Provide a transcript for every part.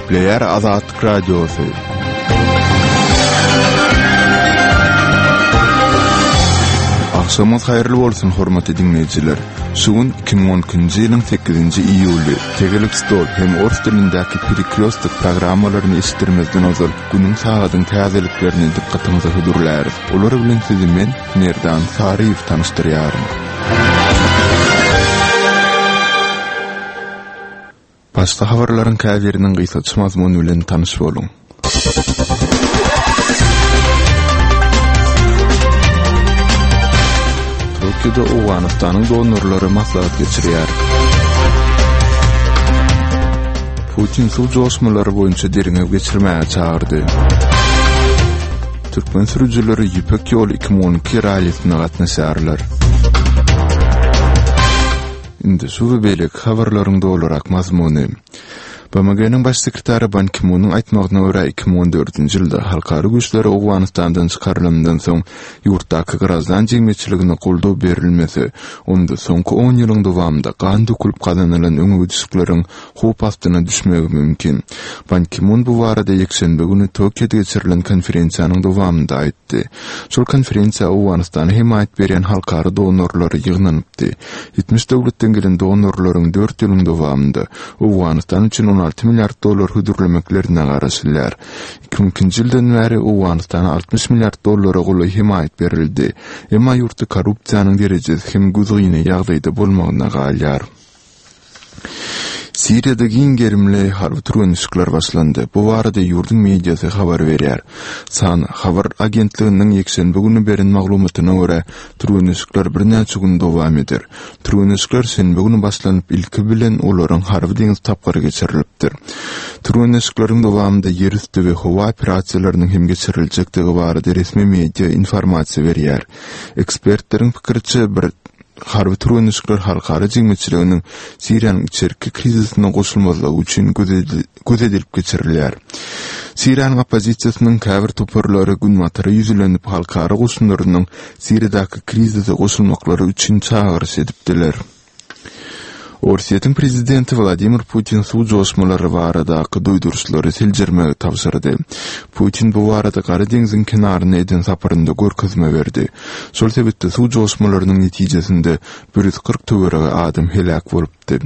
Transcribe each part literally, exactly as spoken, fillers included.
Gepleýär Azatlyk Radiosy. Agşamyňyz haýyrly bolsun, hormatly diňleýjiler! Şu gün iki müň on ikinji ýylyň sekizinji iýuly. Tegelek stol hem ors dilindäki Perekrýostok programmalaryny eşitdirmezden ozal günüň sagadyň täzeliklerini dykgatyňyza hödürläris. Olar bilen sizi men, Merdan Saryýew tanyşdyrýaryn. Başda habarlaryň käbiriniň gysgaça mazmuny bilen tanyş boluň. Tokioda Owganystanyň donorlary maslahat geçirýär. Putin suw joşmalary boýunça derňew geçirmäge çagyrdy. Türkmen sürüjileri Ýüpek ýoly iki müň on iki rallisine gatnaşarlar. Indi şu we beýleki habarlaryň dolurak mazmuny. B M G-niň baş sekretary Ban Ki-munyň aýtmagyna görä, iki müň on dördünji ýylda halkara güýçleri Owganystandan çykarylandan soň ýurtdaky graždan jemgyýetçiligine goldaw berilmese, onda soňky on ýylyň dowamynda gan dökülip gazanylan öňegidişlikleriň howp astyna düşmegi mümkin. Ban Ki-mun bu barada ýekşenbe güni Tokioda geçirilen konferensiýanyň dowamynda aýtdy. Şol konferensiýa Owganystana hemaýat berýän halkara donorlary ýygnanypdy. Ýetmiş döwletden gelen donorlaryň dört ýylyň dowamynda Owganystan üçin on alty milliard dollar hödürlemeklerine garaşylýar. Iki müň ikinji ýyldan bäri Owganystana altmyş milliard dollara golaý hemaýat berildi. Emma ýurtda korrupsiýanyň derejesi hem gözgyny ýagdaýda bolmagyna galýar. Siriýada giň gerimli harby türgenleşikler başlandy. Bu barada ýurduň mediasy habar berýär. Sana habar agentliginiň ýekşenbe güni beren maglumatyna görä, türgenleşikler birnäçe gün dowam eder. Türgenleşikler şenbe güni başlanyp, ilki bilen olaryň harby deňiz tapgyry geçirilipdir. Türgenleşikleriň dowamynda ýerüsti we howa operasiýalarynyň hem geçiriljekdigi barada resmi media informasiýa berýär. Ekspertleriň pikiriçe, bir harby türgenleşikler halkara jemgyýetçiliginiň Siriýanyň içerki krizisine goşulmazlygy üçin göz edilip geçirilýär. Siriýanyň oppozisiýasynyň käbir toparlary Günbatara ýüzlenip, halkara goşunlarynyň Siriýadaky krizise goşulmaklary üçin çagyryş edipdiler. Orsýetiň prezidenti Wladimir Putin suw joşmalary baradaky duýduryşlary seljermegi tabşyrdy. Putin bu barada Gara deňziň kenaryna eden saparynda görkezme berdi. Şol sebitde suw joşmalarynyň netijesinde bir ýüz kyrk töweregi adam heläk bolupdy.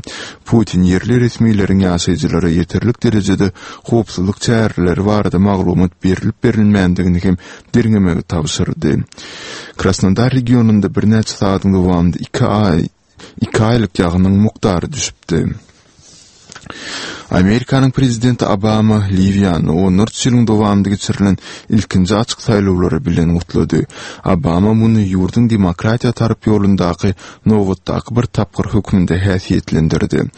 Putin ýerli resmileriň ýaşaýjylara ýeterlik derejede howpsuzlyk çäreleri barada maglumat berilip-berilmändigini hem derňemegi tabşyrdy. Krasnodar regionynda birnäçe sagatyň dowamynda iki aý iki aýlyk ýagynyň mukdary düşüpdi. Amerikanyň prezidenti Obama Liwiýany onlarça ýylyň dowamynda geçirilen ilkinji açyk saýlawlary bilen gutlady. Obama muny ýurduň demokratiýa tarap ýolundaky nobatdaky bir tapgyr hökmünde häsiýetlendirdi.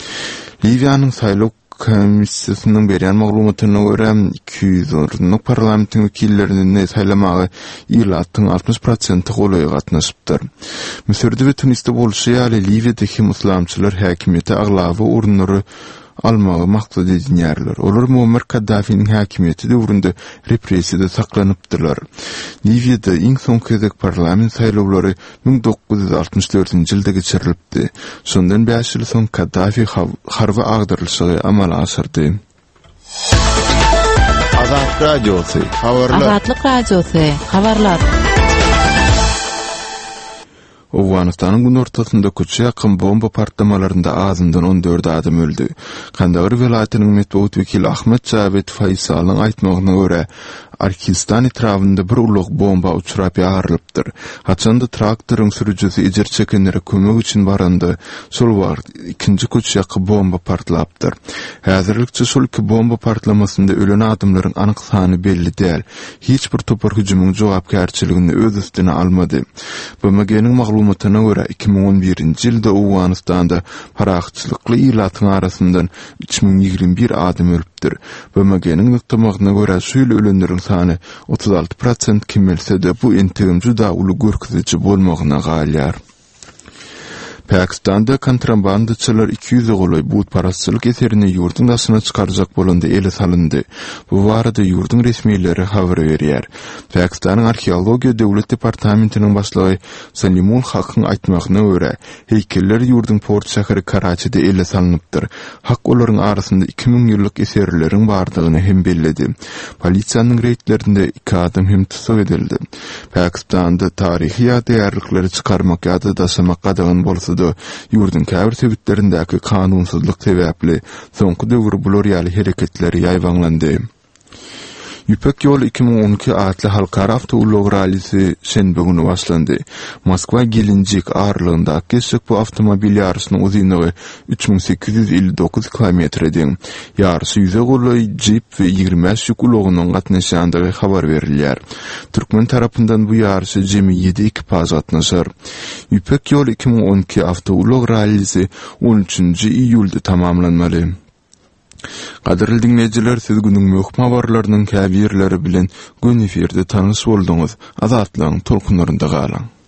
Liwiýanyň saýlaw komissiýasynyň berýän maglumatyna görä, iki ýüz orunlyk parlamentiň wekillerini saýlamaga ilatyň altmyş prosenti golaýy gatnaşypdyr. Müsürde we Tunisde bolşy ýaly, Liwiýada hem yslamçylar häkimiýete aglaba orunlary almagy maksat edinýärler. Olar Muammar Kaddafiniň häkimiýeti döwründe repressiýada saklanypdylar. Liwiýada iň soňky gezek parlament saýlawlary müň dokuz ýüz altmyş dördünji ýylda geçirilipdi. Şondan bäş ýyl soň Kaddafi harby agdarylyşygy amala aşyrdy. Azatlyk Radiosy, habarlar. Azatlyk Radiosy, habarlar. Owganystanyň günortasynda köçe ýakyn bomba partlamalarynda azyndan on dört adam öldi. Kandahar welaýatynyň metbugat wekili Ahmet Jawed Faýsalyň aýtmagyna görä, Arkistan etrabynda bir ulag bomba uçrap ýarylypdyr. Haçanda traktoryň sürüjisi ejir çekenlere kömek üçin baranda, şol wagt ikinji köçe ýaky bomba partlapdyr. Häzirlikçe şol iki bomba partlamasynda ölen adamlaryň anyk sany belli däl. Hiç bir topar hüjümiň jogapkärçiligini öz üstüne almady. B M G-niň maglumatyna görä, iki müň on birinji ýylda Owganystanda parahatçylykly ilatyň arasyndan üç müň ýigrimi bir adam ölüpdir. B M G-niň nygtamagyna görä, şu ýyl ölenleriň sany otuz alty prosent kemelse-de, bu entegem juda uly görkeziji bolmagyna galýar. Pakistanda kontrabandaçylar iki ýüze golaý butparazçylyk eserini ýurduň daşyna çykarjak bolanda ele salyndy. Bu barada ýurduň resmileri habar berýär. Pakistanyň Arheologiýa döwlet departamentiniň başlygy Salimul Hakyň aýtmagyna görä, heýkeller ýurduň port şäheri Karaçide ele salnypdyr. Hak olaryň arasynda iki müň ýyllyk eserleriň bardygyny hem belledi. Polisiýanyň reýdlerinde iki adam hem tussag edildi. Pakistanda taryhy ýadygärlikleri çykarmak ýa-da daşamak gadagan bolsa-da, ýurduň käbir sebitlerindäki kanunsyzlyk sebäpli soňky döwür bular ýaly hereketler ýaýbaňlandy. Ýüpek ýoly iki müň on iki atly halkara awtoulag rallisi şenbe güni başlandy. Moskwa-Gelenjik aralygyndaky geçjek bu awtomobil ýaryşynyň uzynlygy üç müň sekiz ýüz elli dokuz kilometre deň. Ýaryşa ýüze golaý jip we ýigrimi bäş ýük ulagynyň gatnaşýandygy habar berilýär. Türkmen tarapyndan bu ýaryşa jemi ýedi ekipaž gatnaşar. Ýüpek ýoly iki müň on iki awtoulag rallisi on üçünji iýulda tamamlanmaly. Gadyrly diňleýjiler, siz günüň möhüm habarlarynyň käbirleri bilen göni efirde tanyş bolduňyz. Azatlygyň tolkunlarynda galyň.